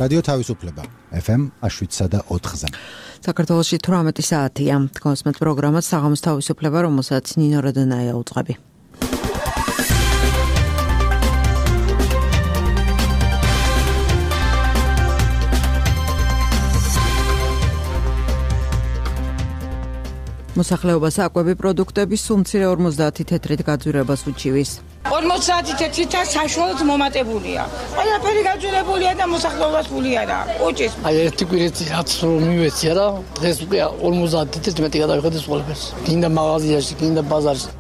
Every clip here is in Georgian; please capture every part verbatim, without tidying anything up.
რადიო თავისუფლება ეფ ემ შვიდსა და ოთხზე. საქართველოში თვრამეტი საათია. თქვენს პროგრამას საღამოს თავისუფლება, რომელსაც ნინო როდონაია უძღვები. მოსახლეობას აკვები პროდუქტების სუმცირე ორმოცდაათი თეთრით გაძვირებას უჩივის. ორმოცდაათი თეთრითა საშუალოდ მომატებულია. ყველაფერი გაძვირებულია და მოსახლეობას ფული არა. უჭის. აი ერთი კვირეთი რაც რომ მივეცია რა, დღეს უკვე ორმოცდაათი თეთრით მეტი გადავიხადე ყველაფერს. გინდა მაღაზიაში, გინდა ბაზარში.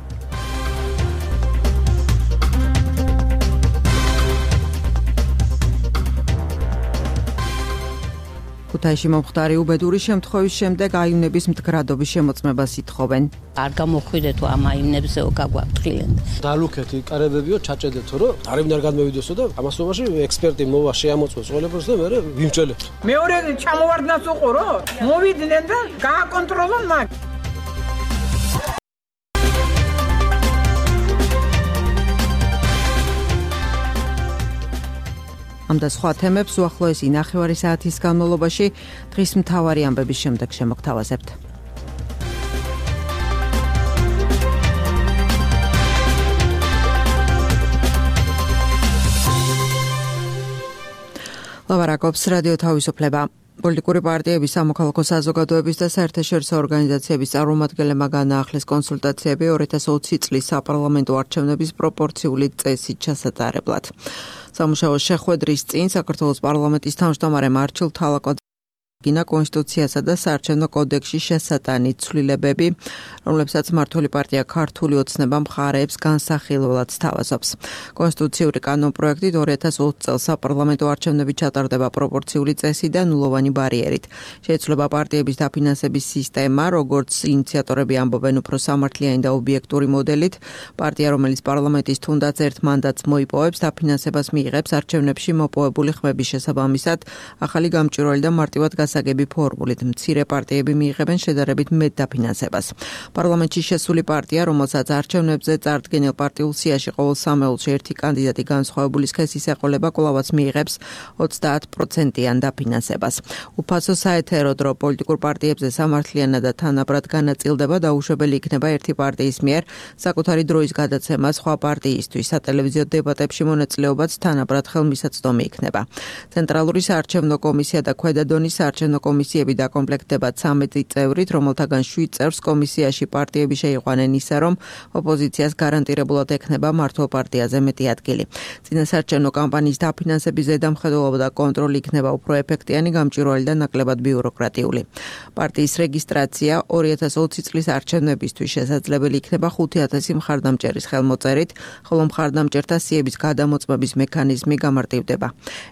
ქუთაისში მომხდარი უბედური შემთხვევის შემდეგ აივნების მდგრადობის შემოწმებას ითხოვენ. არ გამოხვიდეთო ამ აივნებზეო გაგვაფრთხილენ. დალუქეთი კარებებიო ჩაჭედეთო რომ არავინ არ გადმევიდოსო და ამასობაში ექსპერტი მოვა შეამოწმოს ყველაფერს და მე ვიმჭელებთ. მეორე ჩამოვარდნას უყურო, მოვიდნენ და გააკონტროლონ მაგ. ამ და სხვა თემებს უახლოესი ნახევარი საათის განმავლობაში დღის მთავარი ამბების შემდეგ შემოგთავაზებთ. ლაბარაკობს რადიო თავისუფლება. პოლიტიკური პარტიების, სამოქალაქო საზოგადოების და საერთაშორისო ორგანიზაციების წარმომადგენლებმა განაახლეს კონსულტაციები ორი ათას ოცი წლის საპარლამენტო არჩევნების პროპორციული წესით ჩასატარებლად. სამუშაო შეხვედრის წინ საქართველოს პარლამენტის თავმჯდომარე მარჩილ თალაკვაძე გინა კონსტიტუციასა და საარჩევნო კოდექსში შესატანი ცვლილებები, რომლებსაც მმართველი პარტია ქართული ოცნება მხარეებს განსახილველად სთავაზობს. კონსტიტუციური კანონპროექტით ორი ათას ოცი წელს საპარლამენტო არჩევნები ჩატარდება პროპორციული წესით და ნულოვანი ბარიერით. შეიცვლება პარტიების დაფინანსების სისტემა, როგორც ინიციატორები ამბობენ, უფრო სამართლიანი და ობიექტური მოდელით. პარტია, რომელიც პარლამენტის თუნდაც ერთ მანდატს მოიპოვებს, დაფინანსებას მიიღებს არჩევნებში მოპოვებული ხმების შესაბამისად, ახალი გამჭვირვალე და მარტივად გასაგები ფორმულით. მცირე პარტიები მიიღებენ შედარებით მეტ დაფინანსებას. პარლამენტში შესული პარტია, რომელსაც არჩევნებზე წარდგენილ პარტიულ სიაში ყოველ სამეულში ერთი კანდიდატი განსხვავებული სქესის ეყოლება, კვლავაც მიიღებს ოცდაათ პროცენტიან დაფინანსებას. უფასო საეთერო დრო პოლიტიკურ პარტიებზე სამართლიანად და თანაბრად განაწილდება, დაუშვებელი იქნება ერთი პარტიის მიერ საკუთარი დროის გადაცემა სხვა პარტიისთვის. სატელევიზიო დებატებში მონაწილეობაც თანაბრად ხელმისაწვდომი იქნება. ცენტრალური საარჩევნო კომისია და ქვედა დონის საარჩევნო კომისიები დაკომპლექტდება ცამეტი წევრით, რომელთაგან შვიდ წევრს კომისიაში პარტიები შეიყვანენ ისე, რომ ოპოზიციას გარანტირებულად ექნება მართლ პარტიაზე მეტი ადგილი. წინასაარჩევნო კამპანიის დაფინანსების ზედამხედველობა და კონტროლი იქნება უფრო ეფექტიანი, გამჭვირვალე და ნაკლებად ბიუროკრატიული. პარტიის რეგისტრაცია ორი ათას ოცი წლის არჩევნებისთვის შესაძლებელი იქნება ხუთი ათასი მხარდამჭერის ხელმოწერით, ხოლო მხარდამჭერთა სიების გადამოწმების მექანიზმი გამარტივდება.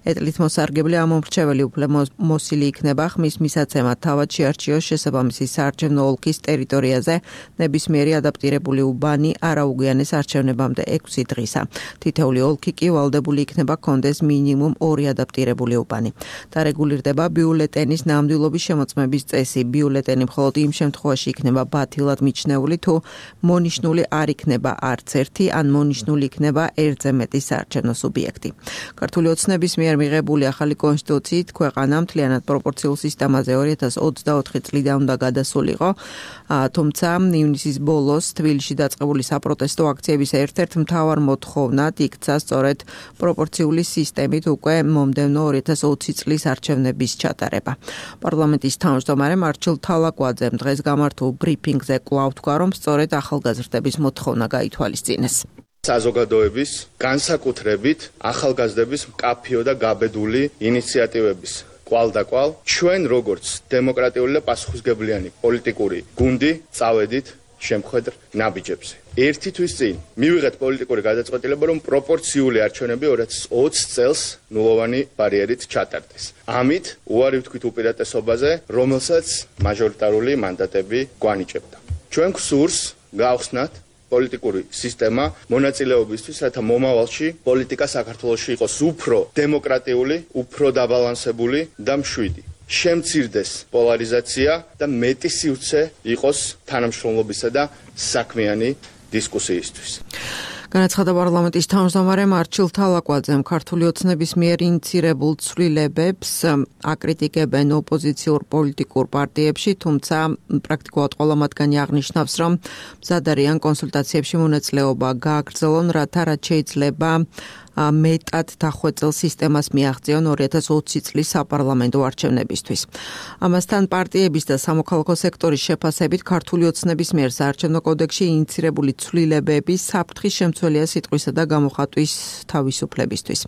ეტლით მოსარგებლე ამომრჩეველი უფლე მოსილი იქნება ხმის მისაცემად თავად შეარჩიოს შესაბამისი საარჩევნო ოლქის ტერიტორიაზე ნებისმიერი ადაპტირებული უბანი არაუგვიანეს არჩევნებამდე ექვსი დღისა. თითეული ოლქი კი ვალდებული იქნება კონდეს მინიმუმ ორი ადაპტირებული უბანი. დარეგულირდება ბიულეტენის ნამდვილობის შემოწმების წესი. ბიულეტენი მხოლოდ იმ შემთხვევაში იქნება ბათილად მიჩნეული, თუ მონიშნული არ იქნება არც ერთი, ან მონიშნული იქნება ერთზე მეტი საარჩევნო სუბიექტი. ქართული ოცნების მიერ მიღებული ახალი კონსტიტუციით ქვეყანა მთლიანად პროპორციულ სისტემაზე ორი ათას ოცდაოთხი წლიდან უნდა გადასულიყო, თუმცა ივნისის ბოლოს თბილისში დაწყებული საპროტესტო აქციების ერთ-ერთ მთავარ მოთხოვნად იქცა სწორედ პროპორციული სისტემით უკვე მომდევნო ორი ათას ოცი წლის არჩევნების ჩატარება. პარლამენტის თავმჯდომარე მარჩილ თალაკვაძემ დღეს გამართულ ბრიფინგზე კვლავ თქვა, რომ სწორედ ახალგაზრდების მოთხოვნა გაითვალისწინეს. საზოგადოების განსაკუთრებით ახალგაზრდების მკაფიო და გაბედული ინიციატივების კვალ და კვალ ჩვენ როგორც დემოკრატიული და პასუხისმგებლიანი პოლიტიკური გუნდი წავედით შემხედრ ნაბიჯებზე. ერთი თვის წინ მივიღეთ პოლიტიკური გადაწყვეტილება, რომ პროპორციული არჩევნები ორი ათას ოცი წელს ნულოვანი ბარიერით ჩატარდეს. ამით უარი ვთქვით უპირატესობაზე, რომელსაც მაჟორიტარული მანდატები გვანიჭებდა. ჩვენ გვსურს გავხსნათ პოლიტიკური სისტემა მონაწილეობისთვის, რათა მომავალში პოლიტიკა საქართველოში იყოს უფრო დემოკრატიული, უფრო დაბალანსებული და მშვიდი. შემცირდეს პოლარიზაცია და მეტი სივრცე იყოს თანამშრომლობისა და საქმიანი დისკუსიისთვის. განაცხადა პარლამენტის თავმჯდომარე მარჩილ თალაკვაძემ, ქართული ოცნების მიერ ინიცირებულ ცვლილებებს აკრიტიკებენ ოპოზიციურ პოლიტიკურ პარტიებში, თუმცა პრაქტიკულად ყველა მათგანი აღნიშნავს, რომ მზად არიან კონსულტაციებში მონაწილეობა გააგრძელონ, რათა რაც შეიძლება მეტად დახვეწილ სისტემას მიაღწიონ ორი ათას ოცი წლის საპარლამენტო არჩევნებისთვის. ამასთან პარტიების და სამოქალაქო სექტორის შეფასებით ქართული ოცნების მიერ საარჩევნო კოდექსში ინიცირებული ცვლილებები საფრთხის შემცველია სიტყვისა და გამოხატვის თავისუფლებისთვის.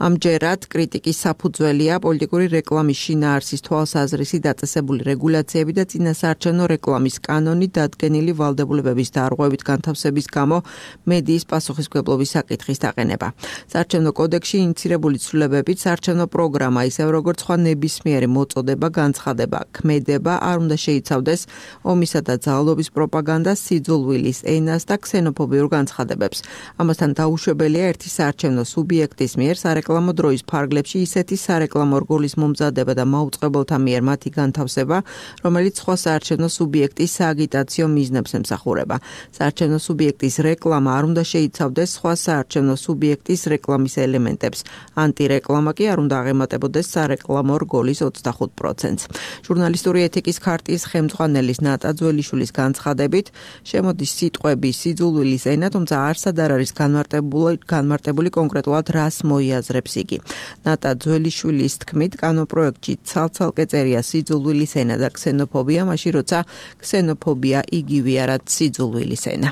ამჯერად კრიტიკის საფუძველია პოლიტიკური რეკლამის შინაარსის თვალსაზრისი დაწესებული რეგულაციები და წინასაარჩევნო რეკლამის კანონი დადგენილი ვალდებულებების დარღვევით განთავსების გამო მედიის პასუხისმგებლობის საკითხის დაყენება. საარჩევნო კოდექსში ინიცირებული ცვლილებებით საარჩევნო პროგრამა, ისევ როგორც სხვა ნებისმიერი მოწოდება, განცხადება, ქმედება არ უნდა შეიცავდეს ომისა და ძალადობის პროპაგანდას, სიძულვილის ენას და ქსენოფობიურ განცხადებებს. ამასთან დაუშვებელია ერთი საარჩევნო სუბიექტის მიერ სარეკლამო რეკლამო დროის ფარგლებში ისეთი სარეკლამო რგოლის მომზადება და მაუწყებელთა მიერ მათი განთავსება, რომელიც სხვა საარჩევნო სუბიექტის სააგიტაციო მიზნებს ემსახურება. საარჩევნო სუბიექტის რეკლამა არ უნდა შეიცავდეს სხვა საარჩევნო სუბიექტის რეკლამის ელემენტებს. ანტირეკლამა კი არ უნდა აღემატებოდეს სარეკლამო რგოლის ოცდახუთ პროცენტს. ჟურნალისტური ეთიკის ქარტიის ხელმძღვანელის ნატა ძველიშვილის განცხადებით, შემოდის სიტყვები სიძულვილის ენა, თუმცა არსად არ არის განმარტებული განმარტებული კონკრეტულად რას მოიაზრებს იგი. ნატა ძველიშვილის თქმით, კანონპროექტში ცალ-ცალკე წერია სიძულვილის ენა და ქსენოფობია, მაშინ როცა ქსენოფობია იგივეა, რაც სიძულვილის ენა.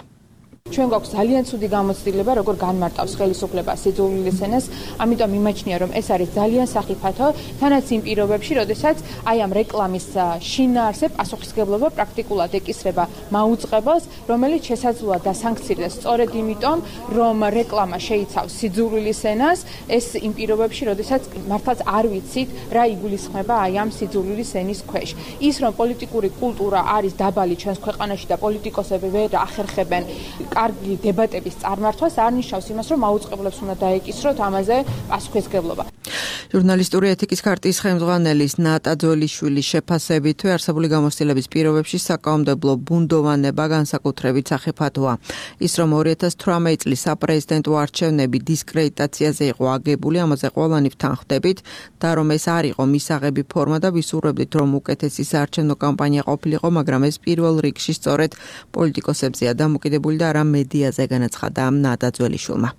ჩვენ გვაქვს ძალიან ცუდი გამოცდილება, როგორ განმარტავს ხელისუფლება სიძულვილის ენას, ამიტომ იმაჩნია, რომ ეს არის ძალიან სახიფათო, თანაც იმ პირობებში, როდესაც აი ამ რეკლამის შინაარსზე პასუხისმგებლობა პრაქტიკულად ეკისრება მაუწყებელს, რომელიც შესაძლოა დასანქცირდეს სწორედ იმიტომ, რომ რეკლამა შეიცავს სიძულვილის ენას, ეს იმ პირობებში, როდესაც მართლაც არ ვიცით, რა იგულისხმება აი ამ სიძულვილის ენის ქვეშ. ის, რომ პოლიტიკური კულტურა არის დაბალი ჩვენს ქვეყანაში და პოლიტიკოსები ვერ ახერხებენ კარგი დებატების წარმართვას, არ ნიშნავს იმას, რომ მაუწყებლებს უნდა დაეკისროთ ამაზე პასუხისმგებლობა. ჟურნალისტური ეთიკის ქარტიის ხელმძღვანელის ნატა ძველიშვილის შეფასებითვე არსებული გამოცდილების პირობებში საკანონმდებლო ბუნდოვანება განსაკუთრებით სახიფათოა. ის, რომ ორი ათას თვრამეტი წლის საპრეზიდენტო არჩევნები დისკრედიტაციაზე იყო აგებული, ამაზე ყველანი ვთანხმდებით და რომ ეს არ იყო მისაღები ფორმა და ვისურვებდით, რომ უკეთესი საარჩევნო კამპანია ყოფილიყო, მაგრამ ეს პირველ რიგში სწორედ პოლიტიკოსებზეა დამოკიდებული და არა მედიაზე, განაცხადა ნატა ძველიშვილმა.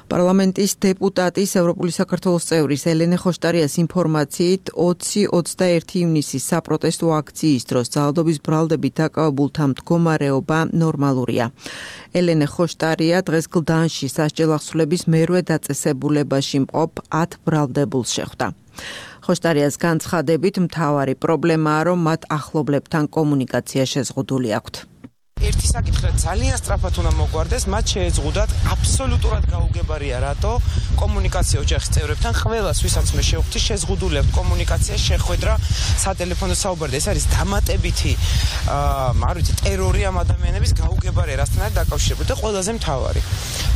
პარლამენტის დეპუტატის ევროპული საქართველოს წევრის ელენე ხოშტარიას ინფორმაციით ოცი ოცდაერთი ივნისის საპროტესტო აქციის დროს ძალადობის ბრალდებით დაკავებულთა მდგომარეობა ნორმალურია. ელენე ხოშტარია დღეს გლდანში სასჯელ ახსულების მერვე დაწესებულებაში მყოფ ათ ბრალდებულს შეხვდა. ხოშტარიას განცხადებით, მთავარი პრობლემაა, რომ მათ ახლობლებთან კომუნიკაცია შეზღუდული აქვთ. ერთი საკითხი ძალიან სწრაფად უნდა მოგვარდეს, მათ შეეძღუდათ აბსოლუტურად გაუგებარია რატო კომუნიკაცია ოჯახის წევრებთან ყველას ვისაც მე შევხვდი შეზღუდული აქვს კომუნიკაცია შეხვედრა სატელეფონო საუბარი. ეს არის დამატებითი აა არ ვიცი ტერორი ამ ადამიანების გაუგებარია რასთანაც დაკავშირებული და ყველაზე მთავარი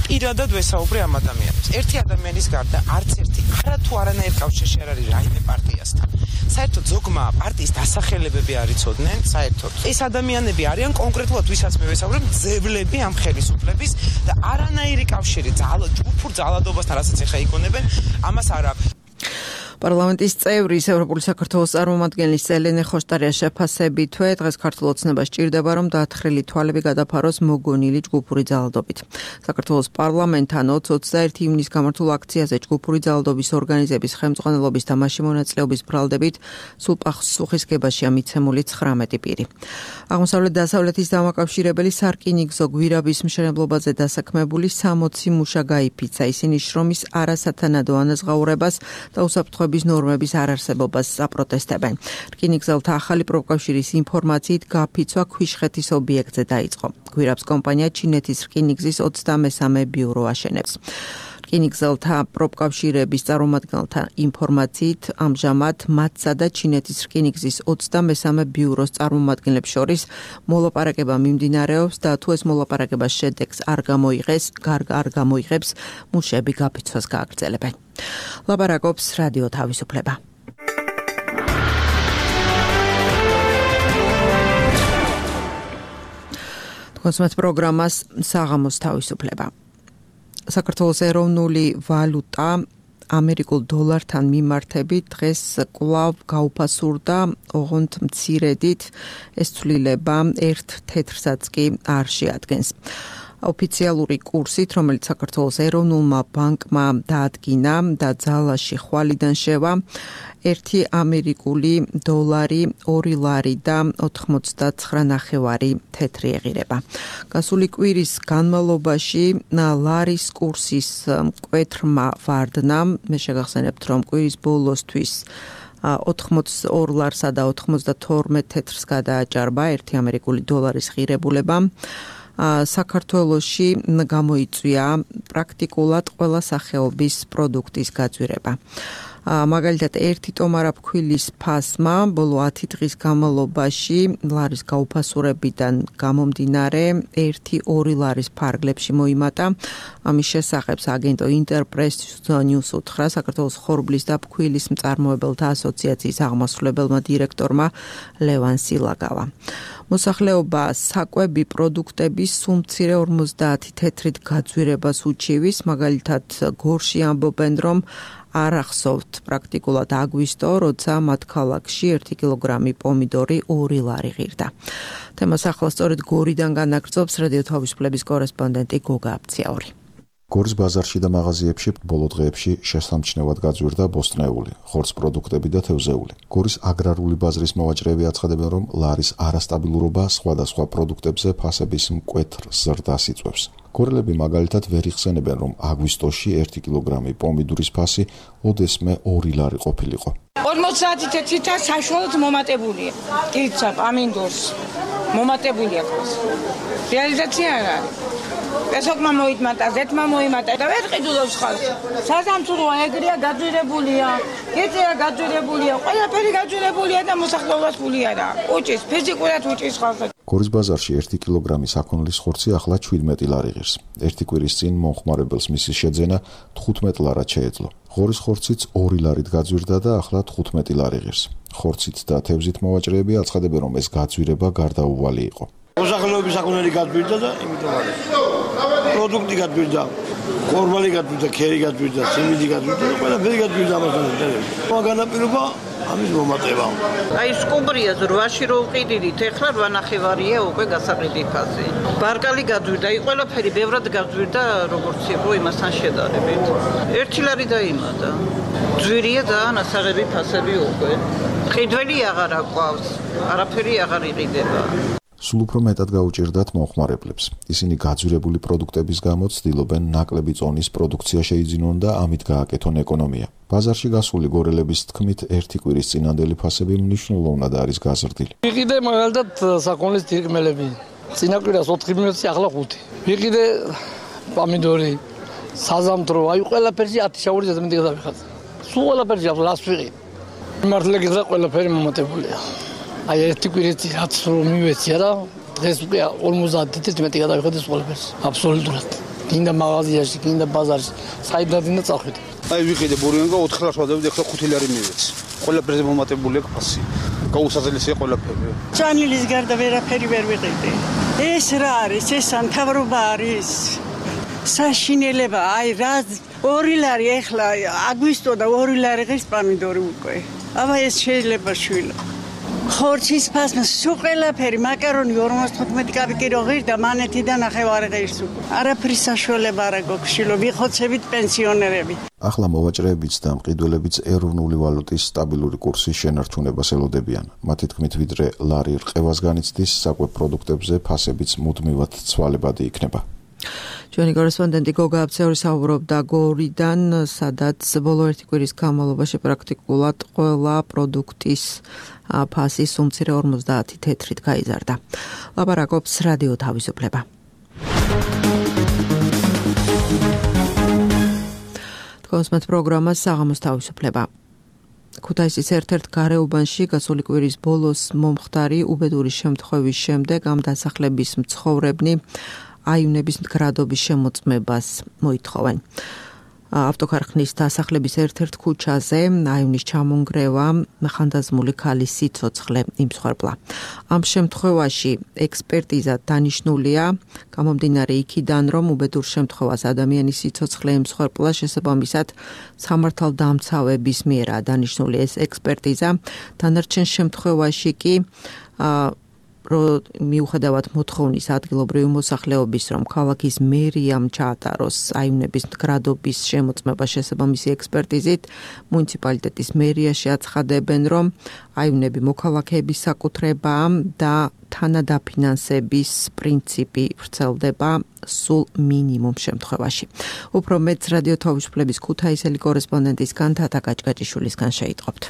პირადად ვესაუბრე ამ ადამიანებს. ერთი ადამიანის გარდა არც ერთი არათუ არანაირ კავშირში არ არის რაიმე პარტიასთან. საერთოდ ზოგმა პარტიის დასახელებები არ იცოდნენ, საერთოდ. ეს ადამიანები არიან კონკრეტულად ვისაც მე ვესაუბრებ, ძებლები ამ ხელისუფლების და არანაირი კავშირი ძალად ჯგუფურ ძალადობასთან, რასაც ეხა იგონებენ, ამას არ აქვს. პარლამენტის წევრის ევროპული საქართველოს წარმომადგენლის ელენე ხოშტარიას შეფასებითვე დღეს ქართულ ოცნებას ჭირდება, რომ დაათხრილი თვალები გადაფაროს მოგონილი ჯგუფური ძალადობით. საქართველოს პარლამენტთან ოცი ოცდაერთი ივნისის გამართულ აქციაზე ჯგუფური ძალადობის ორგანიზების ხელმძღვანელობის და მასში მონაწილეობის ბრალდებით სულ პასუხისმგებაშია მიცემული ცხრამეტი პირი. აღმოსავლეთ-დასავლეთის დამაკავშირებელი სარკინიგზო გვირაბის მშენებლობაზე დასაქმებული სამოცი მუშა გაიფიცა. ისინი შრომის არასათანადო ანაზღაურებას და უსაფრთხო ნორმების არარსებობას აპროტესტებენ. რკინიგზელთა ახალი პროფკავშირის ინფორმაციით გაფიცვა ქვიშხეთის ობიექტზე დაიწყო. გვირაბს კომპანია ჩინეთის რკინიგზის ოცდამესამე ბიურო აშენებს. რკინიგზელთა პროფკავშირების წარმომადგენელთა ინფორმაციით ამჟამად მათსა და ჩინეთის რკინიგზის ოცდამესამე ბიუროს წარმომადგენლებს შორის მოლაპარაკება მიმდინარეობს და თუ ეს მოლაპარაკება შედეგს არ გამოიღეს, არ გამოიღებს, მუშები გაფიცვას გააგრძელებენ. ლაპარაკობს რადიო თავისუფლება. კონსუმატ პროგრამას საღამოს თავისუფლება. საქართველოს ეროვნული ვალუტა ამერიკულ დოლართან მიმართებით დღეს კვლავ გაუფასურდა, ოღონდ მცირედით, ეს ცვლილება ერთ თეთრსაც კი არ შეადგენს. ოფიციალური კურსით, რომელიც საქართველოს ეროვნულმა ბანკმა დაადგინა და ძალაში ხვალიდან შევა, ერთი ამერიკული დოლარი ორი ლარი და ოთხმოცდაცხრა ნახევარი თეთრი ეღირება. გასული კვირის განმავლობაში ლარის კურსის მკვეთრმა ვარდნამ, მე შეგახსენებთ, რომ კვირის ბოლოსთვის ოთხმოცდაორ ლარსა და ოცდათორმეტ თეთრს გადააჭარბა ერთი ამერიკული დოლარის ღირებულება. საქართველოში გამოიწვია პრაქტიკულად ყველა სახეობის პროდუქტის გაძვირება. მაგალითად, ერთი ტომარა ფქვილის ფასმა ბოლო ათი დღის განმავლობაში ლარის გაუფასურებიდან გამომდინარე ერთი ორი ლარის ფარგლებში მოიმატა. ამის შესახებ აგენტო ინტერპრეს ნიუს უთხრა საქართველოს ხორბლის და ფქვილის მწარმოებელთა ასოციაციის აღმასრულებელმა დირექტორმა ლევან სილაგავა. მოსახლეობა საკვები პროდუქტების სულ მცირე ორმოცდაათი თეთრით გაძვირებას უჩივის, მაგალითად გორში ამბობენ, რომ არ ახსოვთ პრაქტიკულად აგვისტო, როცა მათ ქალაქში ერთი კილოგრამი პომიდორი ორი ლარი ღირდა. თემას ახლა სწორედ გორიდან განაგრძობს რადიო თავისუფლების კორესპონდენტი გოგა აბციაური. გორის ბაზარში და მაღაზიებში ბოლო დღეებში შესამჩნევად გაძვირდა ბოსტნეული, ხორცს პროდუქტები და თევზეული. გორის აგრარული ბაზრის მოვაჭრეები აცხადებენ, რომ ლარის არასტაბილურობა სხვადასხვა პროდუქტებზე ფასების მკვეთრ ზრდას იწვევს. გორელები მაგალითად ვერ იხსენებენ, რომ აგვისტოში ერთი კილოგრამი პომიდურის ფასი ოდესმე ორი ლარი ყოფილიყო. ორმოცდაათი თეთრითა საშუალოდ მომატებულია. კირცა, ამინდორს მომატებულია ხოს. რეალიზაცია არ არის. ესოკმა მოიტმატა, ზეთმა მოიმატა და ვერ ყიდულობს ხალხს. საზამთროა ეგრეა გაძვირებულია, გეწეა გაძვირებულია, ყველაფერი გაძვირებულია და მოსახლეობას ფული არა. უჭის, ფიზიკურად უჭის ხალხს. გორის ბაზარში ერთი კილოგრამი საქონლის ხორცი ახლა შვიდმეტი ლარი ღირს. ერთი კვირის წინ მომხმარებელს მისი შეძენა თხუთმეტ ლარად შეეძლო. ღორის ხორციც ორი ლარით გაძვირდა და ახლა თხუთმეტი ლარი ღირს. ხორცით და თევზით მოვაჭრეები აცხადებენ, რომ ეს გაძვირება გარდაუვალი იყო. მოსახლეობის საქონელი გაძვირდა და იმიტომ არის. პროდუქტი გაძვირდა, ხორბალი გაძვირდა, ქერი გაძვირდა, სიმინდი გაძვირდა და ყველაფერი გაძვირდა ამასთან. განაპირობა ამის მომატება. აი სკუმბრია რვაში რო ვყიდით, ეხლა რვა ნახევარია უკვე გასაყიდი ფასი. ბარკალი გაძვირდა, აი ყველაფერი ბევრად გაძვირდა, როგორც იყო იმასთან შედარებით. ერთი ლარი დაიმატა. ძვირია და ნასაღები ფასები უკვე. ყიდველი აღარ აყვავს, არაფერი აღარ იყიდება. სულ უფრო მეტად გაუჭირდათ მომხმარებლებს. ისინი გაძვირებული პროდუქტების გამო ცდილობენ ნაკლები წონის პროდუქცია შეიძინონ და ამით გააკეთონ ეკონომია. ბაზარში გასული გორელების თქმით, ერთი კვირის წინანდელი ფასები მნიშვნელოვნად არის გაზრდილი. ვიყიდე მაგალითად საქონლის თირკმელები. წინა კვირას ოთხი მიოცი, ახლა ხუთი. ვიყიდე პომიდორი, საზამთრო, აი ყველაფერში ათი შაური ზედმეტი გადავიხადე. სულ ყველაფერში ახლას ვიყიდე. მართლა გითხრა ყველაფერი მომატებულია. აი ერთი კვირით რაც რომ მივეცია და დღეს უკვე ორმოცდაათი თეთრი მეტი გადავიხადე ყველაფერს. აბსოლუტურად. გინდა მაღაზიაში, გინდა ბაზარში, საიდან და წავხედე. აი ვიყიდე ბურენგა ოთხ ლარს ვადები, ახლა ხუთი ლარი მივეცი. ყველაფერზე მომატებულია ფასი. გაუსაზრდელია ყველაფერი. ჭანილის გარდა ვერაფერი ვერ ვიყიდე. ეს რა არის? ეს სამთავრობა არის. საშინელება, აი რა ორი ლარი ახლა აგვისტო და ორი ლარი ღირს პომიდორი უკვე. აბა ეს შეიძლება შვილო. ხორცის ფასმა სულ ყველაფერი, მაკარონი ორმოცდათხუთმეტი კაპიკი რო ღირდა, მანეთი და ნახევარი ღირს უკვე. არაფერი საშუალება არ აქვს შვილო, ვიხოცებით პენსიონერები. ახლა მოვაჭრეებიც და მყიდველებიც ეროვნული ვალუტის სტაბილური კურსის შენარჩუნებას ელოდებიან. მათი თქმით, ვიდრე ლარი რყევას განიცდის, საკვებ პროდუქტებზე ფასებიც მუდმივად ცვალებადი იქნება. ჩვენი კორესპონდენტი გოგა აბციური საუბრობდა გორიდან, სადაც ბოლო ერთი კვირის განმავლობაში პრაქტიკულად ყველა პროდუქტის ფასი სულ-მცირე ორმოცდაათი თეთრით გაიზარდა. ლაპარაკობს რადიო თავისუფლება. თქვენს პროგრამას საღამოს თავისუფლება. ქუთაისის ერთ-ერთ გარეუბანში გასული კვირის ბოლოს მომხდარი უბედური შემთხვევის შემდეგ ამ დასახლების მცხოვრებნი აივნების მდგრადობის შემოწმებას მოითხოვენ. ავტოქარხნის დასახლების ერთ-ერთ ქუჩაზე აივნის ჩამონგრევა ხანდაზმული ქალის სიცოცხლე იმსხვერპლა. ამ შემთხვევაში ექსპერტიზა დანიშნულია გამომდინარე იქიდან, რომ უბედურ შემთხვევას ადამიანის სიცოცხლე იმსხვერპლა შესაბამისად სამართალდამცავების მიერაა დანიშნული ეს ექსპერტიზა. დანარჩენ შემთხვევაში კი მიუხედავად მოთხოვნის ადგილობრივი მოსახლეობის, რომ ქალაქის მერიამ ჩაატაროს აივნების მდგრადობის შემოწმება შესაბამისი ექსპერტიზით, მუნიციპალიტეტის მერიაში აცხადებენ, რომ აივნები მოქალაქეების საკუთრებაა და თანადაფინანსების პრინციპი ვრცელდება სულ მინიმუმ შემთხვევაში. უფრო მეტს რადიო თავისუფლების ქუთაისელი კორესპონდენტისგან თათა გაჭგაჭიშვილისგან შეიტყობთ.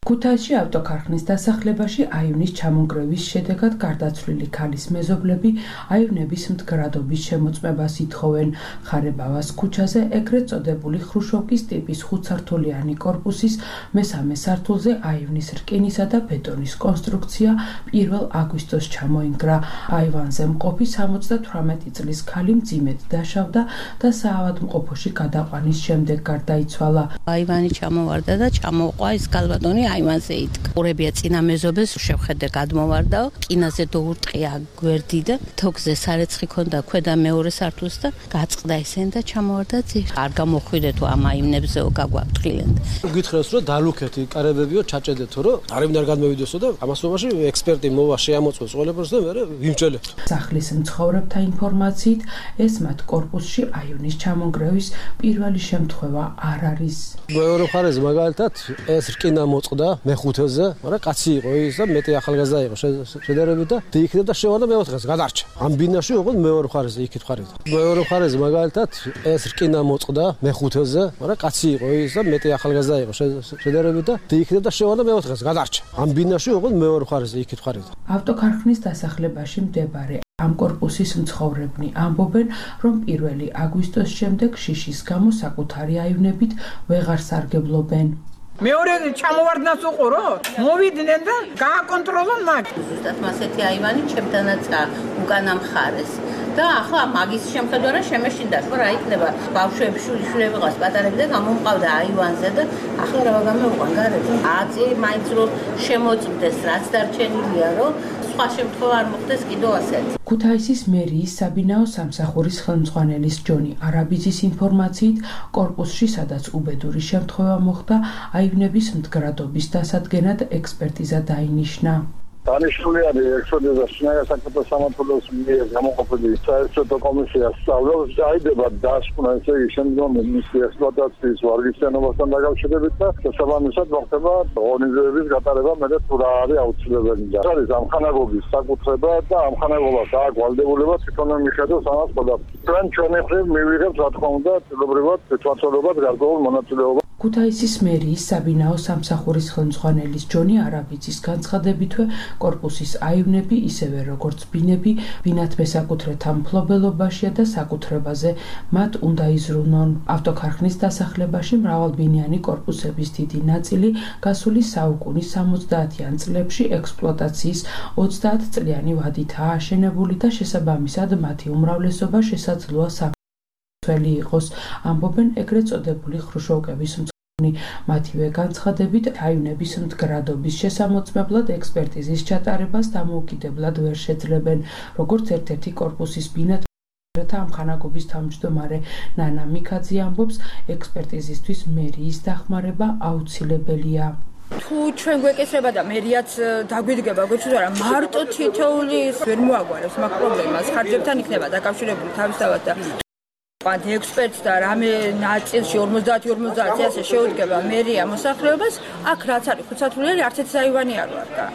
ქუთაისში ავტოქარხნის დასახლებაში აივნის ჩამონგრევის შედეგად გარდაცვლილი ქალის მეზობლები აივნების მდგრადობის შემოწმებას ითხოვენ. ხარებავას ქუჩაზე ეგრეთ წოდებული ხრუშოვკის ტიპის ხუთსართულიანი კორპუსის მესამე სართულზე აივნის რკინისა და ბეტონის კონსტრუქცია პირველ აგვისტოს ჩამოინგრა. აივანზე მყოფი სამოცდათვრამეტი წლის ქალი მძიმედ დაშავდა და საავადმყოფოში გადაყვანის შემდეგ გარდაიცვალა. აივანი ჩამოვარდა და ჩამოყვა ის გალბატონი აივანზე იდგა. ყურებია წინა მეზობელს შევხედე გადმოვარდაო, კინაზე დაურტყია გვერდი და თოქზე სარეცხი ქონდა ქვედა მეორე სართულს და გაწყდა ისენ და ჩამოვარდა ძირ. არ გამოხვიდე თუ ამ აივნებზეო გაგვაფრთხილენ. გითხრეს რომ დალუქეთი კარებებიო ჩაჭედეთო რომ არავინ არ გადმევიდოსო და ამასობაში ექსპერტი მოვა შეამოწმოს ყველაფერს და მე ვიმჭელებთ. სახლის მცხოვრებთა ინფორმაციით ეს მათ კორპუსში აივნის ჩამონგრევის პირველი შემთხვევა არ არის. მეორე მხარეზე მაგალითად ეს რკინა მოწყდა მეხუთეზე, მაგრამ კაცი იყო ის და მეტი ახალგაზრდა იყო შედარებით და იქნებ და შევარდა მეოთხეს გადარჩა. ამ ბინაში ოღონდ მეორე მხარეზე იქით ხარით. მეორე მხარეზე მაგალითად ეს რკინა მოწყდა მეხუთეზე, მაგრამ კაცი იყო ის და მეტი ახალგაზრდა იყო შედარებით და იქნებ და შევარდა მეოთხეს გადარჩა. ამ ბინაში ოღონდ მეორე მხარეზე იქით ხარით. ავტოქარხნის დასახლებაში მდებარე ამ კორპუსის მცხოვრებნი ამბობენ, რომ პირველი აგვისტოს შემდეგ შიშის გამო საკუთარი აივნებით ვეღარ სარგებლობენ. მეორე ჩამოვარდნას უყურო, მოვიდნენ და გააკონტროლონ მაგ. ზუსტად მასეთი აივანი ჩემთანაც უკანა მხარეს. და ახლა მაგის შემხედვარად შემეშინდა, რომ რა იქნება ბავშვები, შვილები ყავს პატარები და გამომყავდა აივანზე და ახლა რა გამოვყან გარეთ. აწი მაინც რომ შემოწმდეს, რაც დარჩენილია, რომ სხვა შემთხვევა არ მოხდეს კიდევ ასეთი. ქუთაისის მერიის საბინაო სამსახურის ხელმძღვანელის ჯონი არაბიძის ინფორმაციით, კორპუსში, სადაც უბედური შემთხვევა მოხდა, აივნების მდგრადობის დასადგენად ექსპერტიზა დაინიშნა. დანიშნული არის ექსპერტიზა შინაგან საქმეთა სამმართველოს მიერ გამოყოფილი საერთო კომისიას სწავლობს დაიდება დასკვნა ესე იგი შემდგომი მისი ექსპლუატაციის ვარგისიანობასთან დაკავშირებით და შესაბამისად მოხდება ორგანიზების გატარება მე თუ რა არის აუცილებელი და არის ამხანაგობის საკუთრება და ამხანაგობას აქვს ვალდებულება თვითონ მიხედოს ამას ყველაფერს. ჩვენ ჩვენი მხრივ მივიღებთ რა თქმა უნდა ცდილობრივად თვითმართველობად გარკვეულ მონაწილეობას. ქუთაისის მერიის საბინაო სამსახურის ხელმძღვანელის ჯონი არაბიძის განცხადებითვე კორპუსის აივნები ისევე როგორც ბინები ბინათ მესაკუთრეთა მფლობელობაშია და საკუთრებაზე მათ უნდა იზრუნონ. ავტოქარხნის დასახლებაში მრავალბინიანი კორპუსების დიდი ნაწილი გასული საუკუნის სამოცდაათიან წლებში ექსპლუატაციის ოცდაათ წლიანი ვადითაა აშენებული და შესაბამისად მათი უმრავლესობა შესაძლოა თველი იყოს, ამბობენ ეგრეთ წოდებული ხრუშოვკების მცხოვრნი. მათივე განცხადებით, აივნების მდგრადობის შესამოწმებლად ექსპერტიზის ჩატარებას დამოუკიდებლად ვერ შეძლებენ, როგორც ერთ-ერთი კორპუსის ბინათ ამხანაგობის თავმჯდომარე ნანა მიქაძე ამბობს, ექსპერტიზისთვის მერიის დახმარება აუცილებელია. თუ ჩვენ გვეკისრება და მერიაც დაგვიდგება, გვეცოდა რა მარტო თითოეული ვერ მოაგვარებს მაგ პრობლემას, ხარჯებთან იქნება დაკავშირებული თავისთავად და პად ექსპერტს და რამე ნაწილში ორმოცდაათი ორმოცდაათი ასე შეუდგება მერია მოსახლეობას, აქ რაც არის ხუთსართულიანი არც ერთი აივანი არ ვარდა.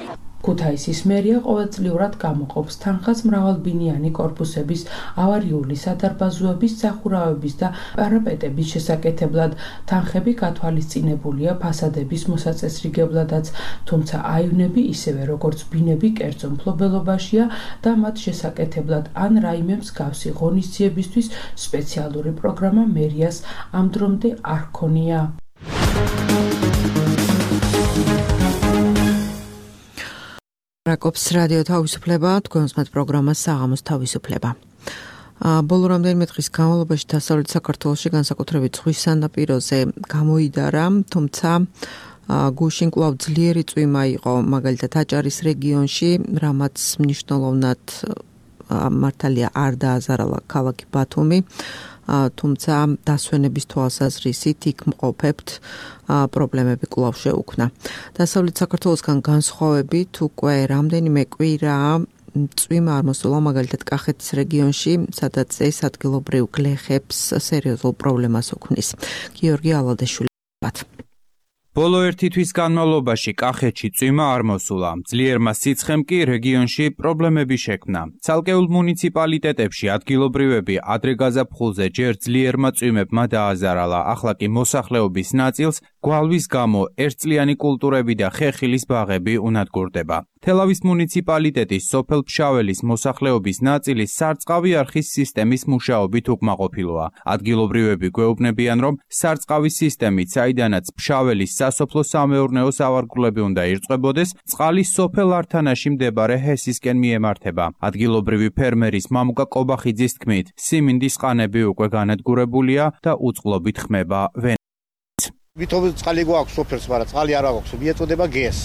ქუთაისის მერია ყოველწლიურად გამოყოფს თანხას მრავალბინიანი კორპუსების, ავარიული სადარბაზოების, სახურავების და პარაპეტების შესაკეთებლად. თანხები გათვალისწინებულია ფასადების მოსაწესრიგებლადაც, თუმცა აივნები ისევე როგორც ბინები კერძო მფლობელობაშია და მათ შესაკეთებლად ან რაიმე მსგავსი ღონისძიებისთვის სპეციალური პროგრამა მერიას ამ დრომდე არ ჰქონია. რაკობს რადიო თავისუფლება, თქვენს მათ პროგრამას საღამოს თავისუფლება. ბოლო რამდენიმე დღის განმავლობაში დასავლეთ საქართველოში განსაკუთრებით ზღვის სანაპიროზე გამოიდარა, თუმცა გუშინ კვლავ ძლიერი წვიმა იყო მაგალითად აჭარის რეგიონში, რამაც მნიშვნელოვნად მართალია არ დააზარალა ქალაქი ბათუმი, თუმცა დასვენების თვალსაზრისით იქ მყოფებთ პრობლემები კვლავ შეუქმნა. დასავლეთ საქართველოსგან განსხვავებით უკვე რამდენიმე კვირაა წვიმა არ მოსულა მაგალითად კახეთის რეგიონში, სადაც ეს ადგილობრივ გლეხებს სერიოზულ პრობლემას უქმნის. გიორგი ალადეშვილი. ბოლო ერთი თვის განმავლობაში კახეთში წვიმა არ მოსულა. ძლიერმა სიცხემ კი რეგიონში პრობლემები შექმნა. ცალკეულ მუნიციპალიტეტებში ადგილობრივები ადრე გაზაფხულზე ჯერ ძლიერმა წვიმებმა დააზარალა, ახლა კი მოსახლეობის ნაწილს გვალვის გამო ერთწლიანი კულტურები და ხეხილის ბაღები უნადგურდება. თელავის მუნიციპალიტეტის სოფელ ფშაველის მოსახლეობის ნაწილი სარწყავი არხის სისტემის მუშაობით უკმაყოფილოა. ადგილობრივები გვეუბნებიან, რომ სარწყავის სისტემით, საიდანაც ფშაველის სასოფლო-სამეურნეო სავარგულები უნდა ირწყვებოდეს, წყალი სოფელ ართანაში მდებარე ჰესისკენ მიემართება. ადგილობრივი ფერმერის მამუკა კობახიძის თქმით, სიმინდის ყანები უკვე განადგურებულია და უწყლობით ხმება ვენ. ვითომ წყალი გვაქვს სოფელს, მაგრამ წყალი არ აქვს, მიეწოდება გეს.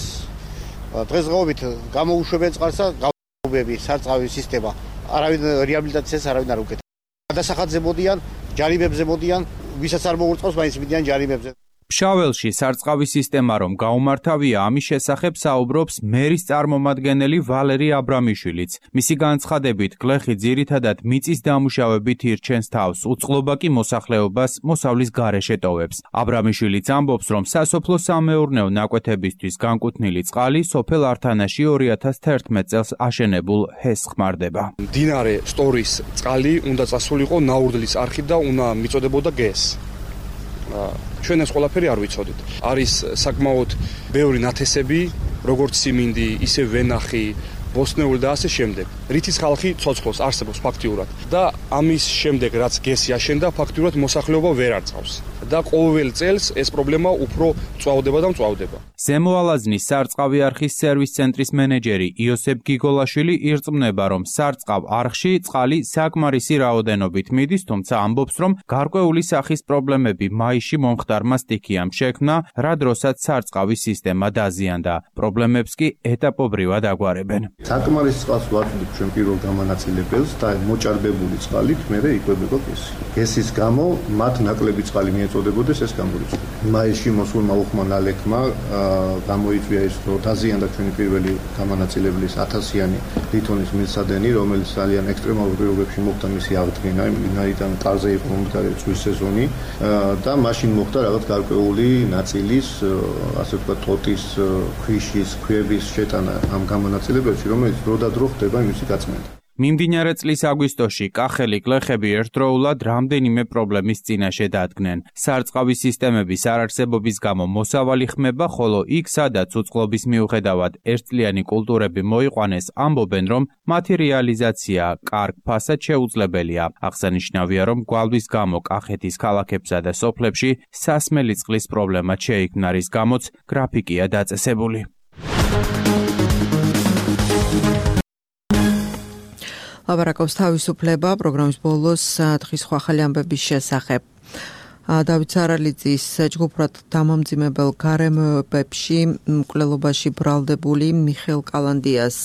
დღესდღეობით გამოუშვებენ წყალსა გავები სარწყავის სისტემა. არავინ რეაბილიტაციას არავინ არ უკეთებს. გადასახადზე მოდიან, ჯარიმებზე მოდიან, ვისაც არ მოურწყავს, მაინც მიდიან ჯარიმებზე. ფშაველში სარწყავის სისტემა რომ გაუმართავია, ამის შესახებ საუბრობს მერის წარმომადგენელი ვალერი აბრამიშვილიც. მისი განცხადებით, გლეხი ძირითადად მიწის დამუშავებით ირჩენს თავს, უწყლობა კი მოსახლეობას მოსავლის გარეშე ტოვებს. აბრამიშვილიც ამბობს, რომ სასოფლო-სამეურნეო ნაკვეთებისთვის განკუთვნილი წყალი სოფელ ართანაში ორი ათას თერთმეტ წელს აშენებულ ჰესს ხმარდება. მდინარე სტორის წყალი უნდა წასულიყო ნაურდლის არხით და უნდა მიწოდებოდა გეს. ჩვენ ეს ყველაფერი არ ვიცოდით. არის საკმაოდ ბევრი ნათესები, როგორც სიმინდი, ისე ვენახი, ბოსნეული და ასე შემდეგ. რითიც ხალხი ცოცხლობს, არსებობს ფაქტიურად. და ამის შემდეგ, რაც გესი აშენდა, ფაქტიურად მოსახლეობა ვერ არწყავს. და ყოველ წელს ეს პრობლემა უფრო წვავდება და მწვავდება. ზემო ალაზნის სარწყავი არხის სერვის ცენტრის მენეჯერი იოსებ გიგოლაშვილი ირწმუნება, რომ სარწყავ არხში წყალი საკმარისი რაოდენობით მიდის, თუმცა ამბობს, რომ გარკვეული სახის პრობლემები მაისში მომხდარმა სტიქიამ შექმნა, რა დროსაც სარწყავის სისტემა დაზიანდა. პრობლემებს კი ეტაპობრივად აგვარებენ. საკმარისი წყალს ვაწვდით ჩვენ პირველ გამანაწილებელს და მოჭარბებული წყალით მერე იკვებება გესი. გესის გამო მათ ნაკლები წყალი მიეწოდებოდეს, ეს გამორიცხდა. მაისში მოსულმა უხმა ნალექმა გამოიწვია ის, რომ დაზიანდა ჩვენი პირველი გამანაწილებლის ათასიანი ლითონის მილსადენი, რომელიც ძალიან ექსტრემალურ პირობებში მოხდა მისი აღდგენა, იმიდან ტარზე იყო მომდგარი წვის სეზონი და მაშინ მოხდა რაღაც გარკვეული ნაწილის, ასე ვთქვათ, ტოტის, ქვიშის, ქვების შეტანა ამ გამანაწილებელში, რომელიც დრო და დრო ხდება იმისი გაწმენდა. მიმდინარე წლის აგვისტოში კახელი გლეხები ერთდროულად რამდენიმე პრობლემის წინაშე დადგნენ. სარწყავის სისტემების არარსებობის გამო მოსავალი ხმება, ხოლო იქ, სადაც უწყლობის მიუხედავად ერთწლიანი კულტურები მოიყვანეს, ამბობენ, რომ მათი რეალიზაცია კარგ ფასად შეუძლებელია. აღსანიშნავია, რომ გვალვის გამო კახეთის ქალაქებსა და სოფლებში სასმელი წყლის პრობლემა შეიქმნა, რის გამოც გრაფიკია დაწესებული. ლაპარაკობს თავისუფლება პროგრამის ბოლოს დღის სხვა ახალი ამბების შესახებ. დავით სარალიძის ჯგუფურად დამამძიმებელ გარემოებებში მკვლელობაში ბრალდებული მიხეილ კალანდიას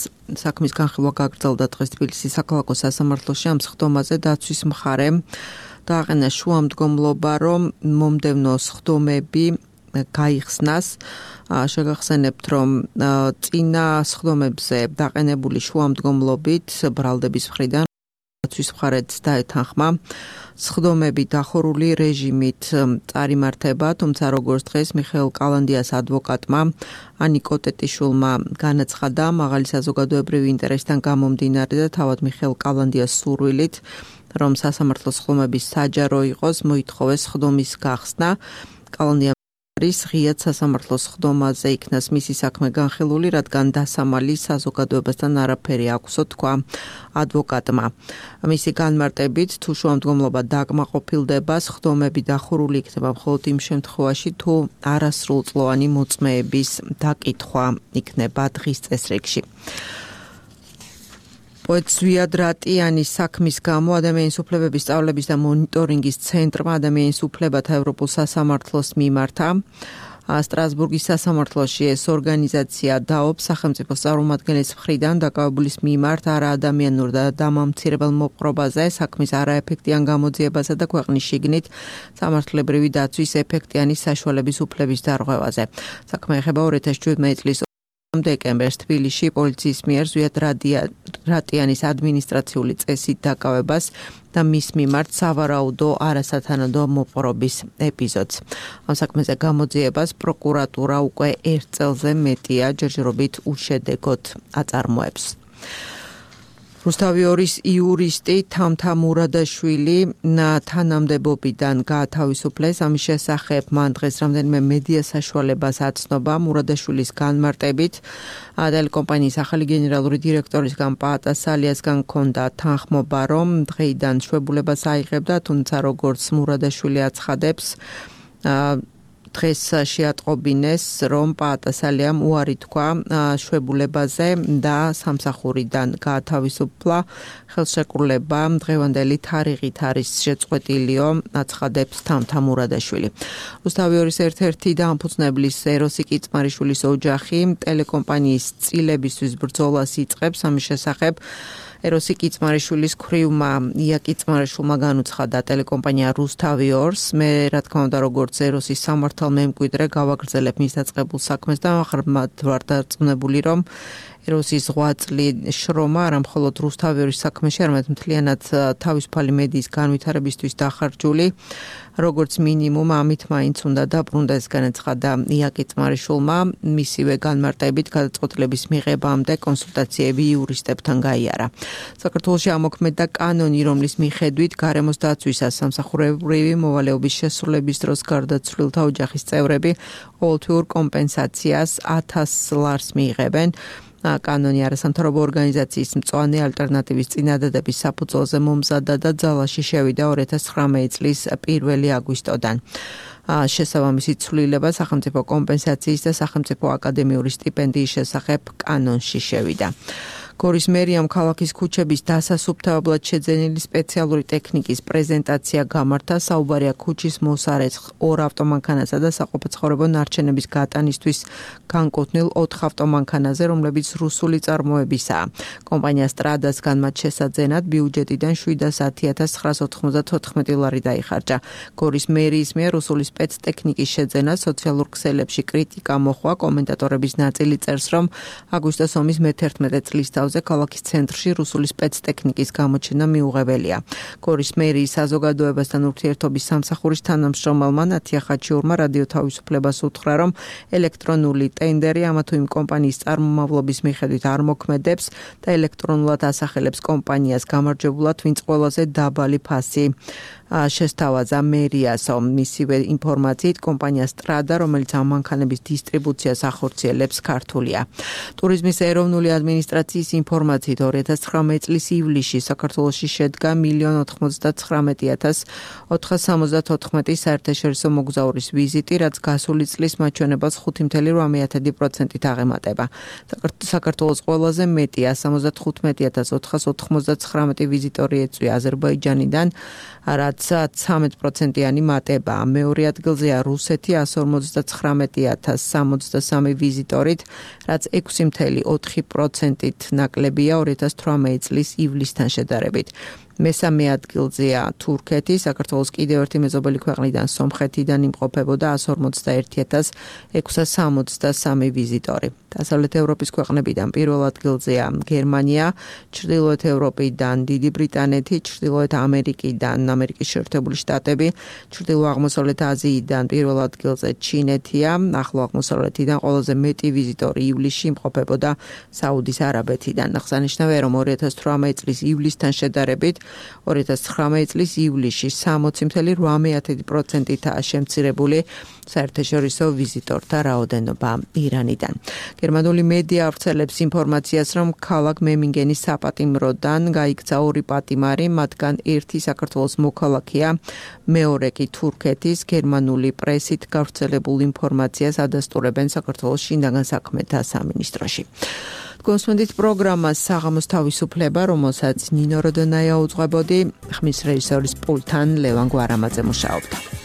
საქმის განხილვა გაგრძელდა დღეს თბილისის საქალაქო სასამართლოში. ამ სხდომაზე დაცვის მხარემ დააყენა შუამდგომლობა, რომ მომდევნო სხდომები გაიხსნას. შეგახსენებთ, რომ წინა სხდომებზე დაყენებული შუამდგომლობით ბრალდების მხრიდან დაცვის მხარეც დაეთანხმა სხდომები დახურული რეჟიმით წარიმართება, თუმცა როგორც დღეს მიხეილ კალანდიას ადვოკატმა ანიკო ტეტიშვილმა განაცხადა, მაღალი საზოგადოებრივი ინტერესიდან გამომდინარე და თავად მიხეილ კალანდიას სურვილით, რომ სასამართლო სხდომების საჯარო იყოს, მოითხოვეს სხდომის გახსნა. კალანდია არის ღიად სასამართლოს სხდომაზე იქნას მისი საქმე განხილული, რადგან დასამალი საზოგადოებასთან არაფერი აქვსო, თქვა ადვოკატმა. მისი განმარტებით, თუ შუამდგომლობა დაკმაყოფილდება, სხდომები დახურული იქნება მხოლოდ იმ შემთხვევაში, თუ არასრულწლოვანი მოწმეების დაკითხვა იქნება დღის წესრიგში. პოეტ ზვიად რატიანის საქმის გამო ადამიანის უფლებების სწავლების და მონიტორინგის ცენტრმა ადამიანის უფლებათა ევროპულ სასამართლოს მიმართა. სტრასბურგის სასამართლოში ეს ორგანიზაცია დაობს სახელმწიფოს წარმომადგენლის მხრიდან დაკავებულის მიმართ არაადამიანურ და დამამცირებელ მოპყრობაზე, საქმის არაეფექტიან გამოძიებასა და ქვეყნის შიგნით სამართლებრივი დაცვის ეფექტიანი საშუალების უფლების დარღვევაზე. საქმე ეხება ორი ათას შვიდმეტი წლის დეკემბერს თბილისში პოლიციის მიერ ზვიად რატიანის ადმინისტრაციული წესით დაკავებას და მის მიმართ სავარაუდო არასათანადო მოპყრობის ეპიზოდს. ამ საქმეზე გამოძიებას პროკურატურა უკვე ერთ წელზე მეტია ჯერჯერობით უშედეგოდ აწარმოებს. რუსთავიორის იურისტი თამთა მურადაშვილი თანამდებობიდან გაათავისუფლეს. ამის შესახებ მან დღეს რამდენიმე მედია საშუალებას აცნობა. მურადაშვილის განმარტებით ტელეკომპანიის ახალი გენერალური დირექტორისგან პაატასალიასგან ჰქონდა თანხმობა, რომ დღეიდან შვებულებას აიღებდა, თუმცა როგორც მურადაშვილი აცხადებს, დღეს შეატყობინეს, რომ პაატასალიამ უარი თქვა შვებულებაზე და სამსახურიდან გაათავისუფლა. ხელშეკრულება დღევანდელი თარიღით არის შეწყვეტილიო, აცხადებს თამთა მურადაშვილი. რუსთავიორის ერთ-ერთი დამფუძნებლის ეროსი კიწმარიშვილის ოჯახი ტელეკომპანიის წილებისთვის ბრძოლას იწყებს. ამის შესახებ ეროსი კიწმარიშვილის ქვრივმა ია კიწმარიშვილმა განუცხადა ტელეკომპანია რუსთავიორს. მე რა თქმა უნდა როგორც ეროსის სამართალმემკვიდრე გავაგრძელებ მის დაწყებულ საქმეს და ღრმად ვარ დარწმუნებული, რომ ეროსის ღვაწლი შრომა არა მხოლოდ რუსთავიორის საქმეში, არამედ მთლიანად თავისუფალი მედიის განვითარებისთვის დახარჯული. როგორც მინიმუმ ამით მაინც უნდა დაბრუნდეს, განაცხადა ია კიწმარიშვილმა. მისივე განმარტებით გადაწყვეტილების მიღებამდე კონსულტაციები იურისტებთან გაიარა. საქართველოში ამოქმედდა კანონი, რომლის მიხედვით გარემოს დაცვისას სამსახურებრივი მოვალეობის შესრულების დროს გარდაცვლილთა ოჯახის წევრები ყოველთვიურ კომპენსაციას ათას ლარს მიიღებენ. კანონი არასამთავრობო ორგანიზაციის მწვანე ალტერნატივის წინადადების საფუძველზე მომზადდა და ძალაში შევიდა ორი ათას ცხრამეტი წლის პირველი აგვისტოდან. შესაბამისი ცვლილება სახელმწიფო კომპენსაციის და სახელმწიფო აკადემიური სტიპენდიის შესახებ კანონში შევიდა. გორის მერიამ ქალაქის ქუჩების დასასუფთავებლად შეძენილი სპეციალური ტექნიკის პრეზენტაცია გამართა. საუბარია ქუჩის მოსარეცხ ორ ავტომანქანასა და საყოფაცხოვრებო ნარჩენების გატანისთვის განკუთვნილ ოთხ ავტომანქანაზე, რომლებიც რუსული წარმოებისაა. კომპანია სტრადასგან მათ შესაძენად ბიუჯეტიდან შვიდასათი ათას ცხრაას ოთხმოცდათოთხმეტი ლარი დაიხარჯა. გორის მერიის მიერ რუსული სპეცტექნიკის შეძენა სოციალურ ქსელებში კრიტიკა მოჰყვა. კომენტატორების ნაწილი წერს, რომ აგვისტოს ომის მეთერთმეტე წლის ქალაქის ცენტრში რუსული სპეცტექნიკის გამოჩენა მიუღებელია. გორის მერიის საზოგადოებასთან ურთიერთობის სამსახურის თანამშრომელმა ნათია ხაჩიურმა რადიო თავისუფლებას უთხრა, რომ ელექტრონული ტენდერი ამა თუ იმ კომპანიის წარმომავლობის მიხედვით არ მოქმედებს და ელექტრონულად ასახელებს კომპანიას გამარჯვებულად, ვინც ყველაზე დაბალი ფასი შესთავაზა მერიასო. მისივე ინფორმაციით კომპანია სტრადა, რომელიც ამ მანქანების დისტრიბუციას ახორციელებს, ქართულია. ტურიზმის ეროვნული ადმინისტრაციის ინფორმაციით ორი ათას ცხრამეტი წლის ივლისში საქართველოში შედგა მილიონ ოთხმოცდათხრამეტი ათას ოთხას სამოცდათოთხმეტი საერთაშორისო მოგზაურის ვიზიტი, რაც გასული წლის მაჩვენებელს ხუთი მცდელო რვამეტი პროცენტით აღემატება. საქართველოს ყველაზე მეტია სამოცდახუთმეტი ათას ოთხას ოთხმოცდათხრამეტი ვიზიტორი ეწვია აზერბაიჯანიდან, რაც ცხრამეტ პროცენტიანი მატებაა. მეორე ადგილზეა რუსეთი εκατს ორმოცდაცხრამეტი ათას სამოცდასამი ვიზიტორით, რაც ექვსი მცდელო ოთხი პროცენტით ნაკლებია ორი ათას თვრამეტი წლის ივლისთან შედარებით. მესამე ადგილზეა თურქეთი, საქართველოს კიდევ ერთი მეზობელი ქვეყნიდან სომხეთიდან იმყოფებოდა εκατს ორმოცდაერთი ათას ექვსას სამოცდასამი ვიზიტორი. დასავლეთ ევროპის ქვეყნებიდან პირველ ადგილზეა გერმანია, ჩრდილოეთ ევროპიდან დიდი ბრიტანეთი, ჩრდილოეთ ამერიკიდან ამერიკის შეერთებული შტატები, ჩრდილო-აღმოსავლეთ აზიიდან პირველ ადგილზე ჩინეთია, ახლო აღმოსავლეთიდან ყველაზე მეტი ვიზიტორი ივლისში იმყოფებოდა საუდის არაბეთიდან. აღსანიშნავია, რომ ორი ათას თვრამეტი წლის ივლისთან შედარებით ორი ათას ცხრამეტი წლის ივლისში სამოცი მცდელო რვამეტი პროცენტითაა შემცირებული საერთაშორისო ვიზიტორთა რაოდენობა ირანიდან. გერმანული მედია ავრცელებს ინფორმაციას, რომ ქალაქ მემინგენის საპატიმროდან გაიქცა ორი პატიმარი, მათგან ერთი საქართველოს მოქალაქეა, მეორე კი თურქეთის. გერმანული პრესით გავრცელებულ ინფორმაციას ადასტურებენ საქართველოს შინაგან საქმეთა სამინისტროში. გოსმენდით პროგრამას საღამოს თავისუფლება, რომელსაც ნინო როდონაია უძღვებოდი, ხმის რეჟისორის პულთან ლევან გვარამაძე მუშაობდა.